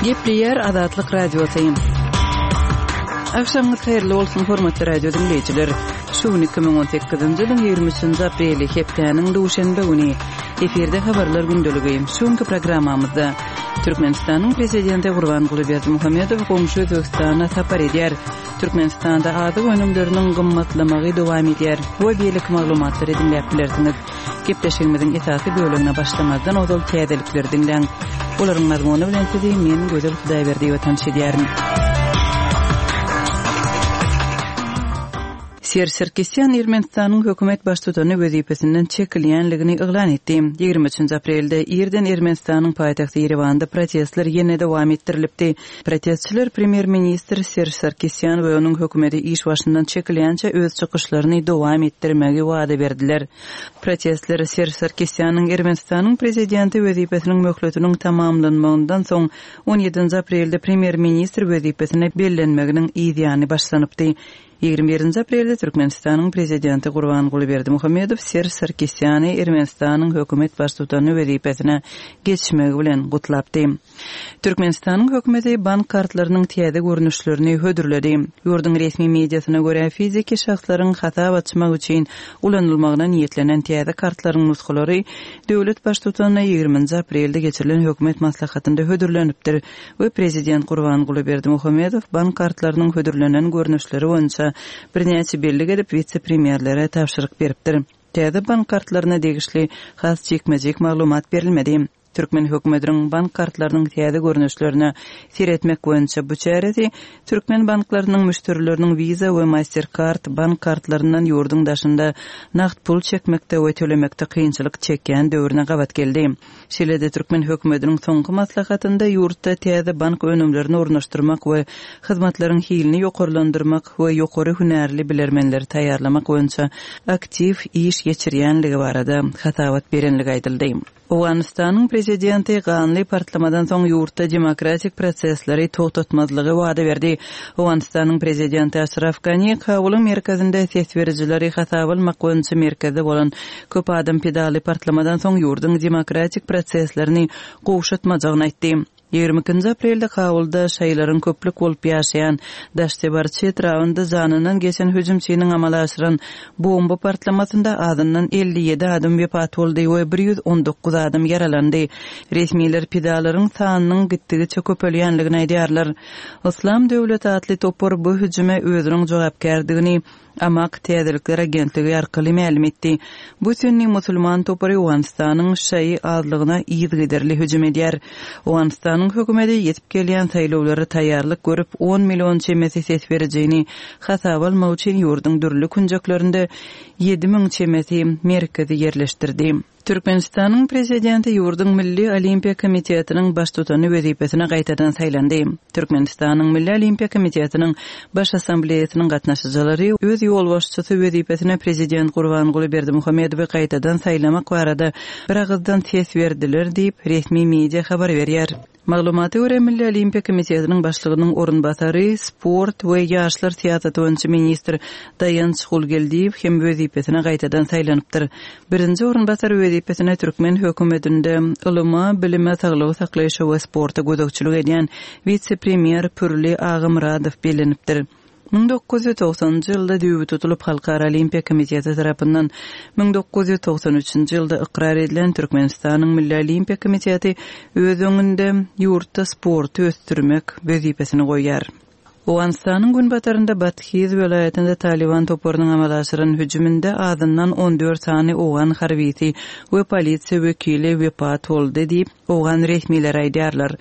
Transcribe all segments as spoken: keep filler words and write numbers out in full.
Gepleýär Azatlyk Radiosy. Agşamyňyz haýyrly bolsun, hormatly radio diňleýjiler. Şu gün iki müň on sekizinji ýylyň ýigrimi üçünji apreli, hepdäniň duşenbe güni. Efirde habarlar gündeligi. Şu günki programmamyzda Türkmenistanyň Prezidenti Gurbanguly Berdimuhamedow goňşy Özbegistana sapar edýär. Türkmenistanda azyk önümleriniň gymmatlamagy dowam edýär we beýleki maglumatlary diňläp bilersiňiz. Gepleşigimiziň esasy bölegine başlamazdan ozal täzelikleri diňläň. Olaryň mazmuny bilen sizi men Gözel Hudaýberdiýewa tanyş edýärin. Serž Sarkisýan Ermenistanyň hökümet baştutany wezipesinden çekilýänligini yglan etdi. Ýigrimi üçünji aprelde irden Ermenistanyň paýtagty Ýerewanda protestler ýene dowam etdirilipdi. Protestçiler premýer-ministr Serž Sarkisýan we onuň hökümeti iş başyndan çekilýänçä öz çykyşlaryny dowam etdirmegi wada berdiler. Protestler Serž Sarkisýanyň Ermenistanyň prezidenti wezipesiniň möhletiniň tamamlanmagyndan soň on ýedinji aprelde premýer-ministr wezipesine bellenmeginiň yzýany başlanypdy. Ýigrimi birinji aprelde Türkmenistanyň prezidenti Gurbanguly Berdimuhamedow Serž Sarkisýany Ermenistanyň hökümet baştutany wezipesine geçmegi bilen gutlapdy. Türkmenistanyň hökümeti bank kartlarynyň täze görnüşlerini hödürledi. Ýurduň resmi mediasyna görä, fiziki şahslaryň hasap açmak üçin ulanylmagyna niýetlenen täze kartlaryň nusgalary döwlet baştutanyna ýigriminji aprelde geçirilen hökümet maslahatynda hödürlenipdir we prezident Gurbanguly Berdimuhamedow bank kartlarynyň hödürlenen görnüşleri boýunça birnäçe bellik edip wise-premýerlere tabşyryk beripdir. Täze bank kartlaryna degişli has jikme-jik maglumat berilmedi. Türkmen hökümetiniň bank kartlarynyň täze görnüşlerine seretmek boýunça bu çäresi türkmen banklarynyň müşderileriniň Visa we Mastercard bank kartlaryndan ýurduň daşynda nagt pul çekmekde we tölemekde kynçylyk çekýän döwrüne gabat geldi. Şeýle-de türkmen hökümetiniň soňky maslahatynda ýurtda täze bank önümlerini ornaşdyrmak we hyzmatlaryň hilini ýokarlandyrmak we ýokary hünärli bilermenleri taýýarlamak boýunça aktiw iş geçirýänligi barada hasabat berenligi aýdyldy. Owganystanyň prezidenti ganly partlamadan soň ýurtda demokratik prosesleri togtatmazlygy wada berdi. Owganystanyň prezidenti Aşraf Gani Kabulyň merkezinde ses berijileri hasaba almak boýunça merkezde bolan köp adam pedaly partlamadan soň ýurduň demokratik proseslerini gowşatmajagyny aýtdy. Ýigrimi ikinji aprelde Kabulda şaýlaryň köplük bolup ýaşaýan Daştebarçy etrabynda janyndan geçen hüjümçiniň amala aşyran bomba partlamasynda azyndan elli ýedi adam wepat boldy we bir ýüz on dokuz adam ýaralandy. Resmiler pidalaryň sanynyň gitdigiçe köpelýänligini aýdýarlar. Yslam döwleti atly topar bu hüjüme özüniň jogapkärdigini Amak täzelikler agentligi arkaly mälim etdi. Bu sünni musulman topary Owganystanyň şaýy azlygyna yzygiderli hüjüm edýär. Owganystanyň hökümeti ýetip gelýän saýlawlara taýýarlyk görüp, on million çemesi ses berijini hasaba almak üçin ýurduň dürli künjeklerinde ýedi müň çemesi merkezi ýerleşdirdi. Türkmenistanyň prezidenti ýurduň Milli Olimpiýa Komitetiniň baştutany wezipesine gaýtadan saýlandy. Türkmenistanyň Milli Olimpiýa Komitetiniň Baş Assambleýasynyň gatnaşyjylary öz ýolbaşçysy wezipesine prezident Gurbanguly Berdimuhamedowy gaýtadan saýlamak barada bir agyzdan ses berdiler diýip, resmi media habar berýär. Maglumata görä, Milli Olimpiýa Komitetiniň başlygynyň orunbasary, sport we ýaşlar syýasaty boýunça ministr Daýanç Gulgeldiýew hem wezipesine gaýtadan saýlanypdyr. Birinji orunbasar wezipesine türkmen hökümetinde ylyma, bilime, saglygy saklaýşa we sporta gözegçilik edýän wise-premýer Pürli Agamyradow bellenipdir. Müň dokuz ýüz togsanynjy ýylda düýbi tutulyp Halkara Olimpiýa Komiteti tarapyndan müň dokuz ýüz togsan üçünji ýylda ykrar edilen Türkmenistanyň Milli Olimpiýa Komiteti öz öňünde ýurtda sporty ösdürmek wezipesini goýýar. Owganystanyň günbatarynda Bathiz welaýatynda Taliban toparynyň amala aşyran hüjüminde azyndan on dört sany owgan harbisi we polisiýa wekili wepat boldy diýip, owgan resmileri aýdýarlar.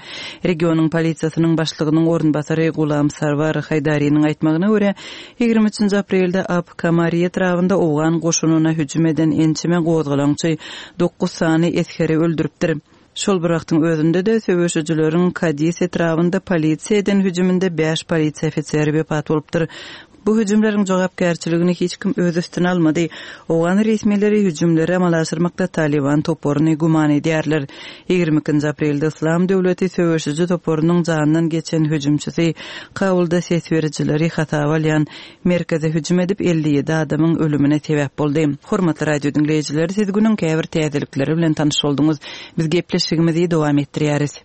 Regionyň polisiýasynyň başlygynyň orunbasary Gulam Sarwar Haýdariniň aýtmagyna görä, ýigrimi üçünji aprelde Ab Kamari etrabynda owgan goşunyna hüjüm eden ençeme gozgalaňçy dokuz sany esgeri öldüripdir. Şol bir wagtyň özünde-de söweşijileriň Kadis etrabynda polisiýa eden hüjüminde bäş polisiýa ofiseri wepat bolupdyr. Bu hüjümleriň jogapkärçiligini hiç kim öz üstüne almady. Owgan resmileri hüjümleri amala aşyrmakda Taliban toparyny güman edýärler. Ýigrimi ikinji aprelde Yslam döwleti söweşiji toparynyň janyndan geçen hüjümçisi Kabulda ses berijileri hasaba alýan merkeze hüjüm edip elli ýedi adamyň ölümine sebäp boldy. Hormatly radio diňleýjiler, siz günüň käbir täzelikleri bilen tanyş bolduňyz. Biz gepleşigimizi dowam etdirýäris.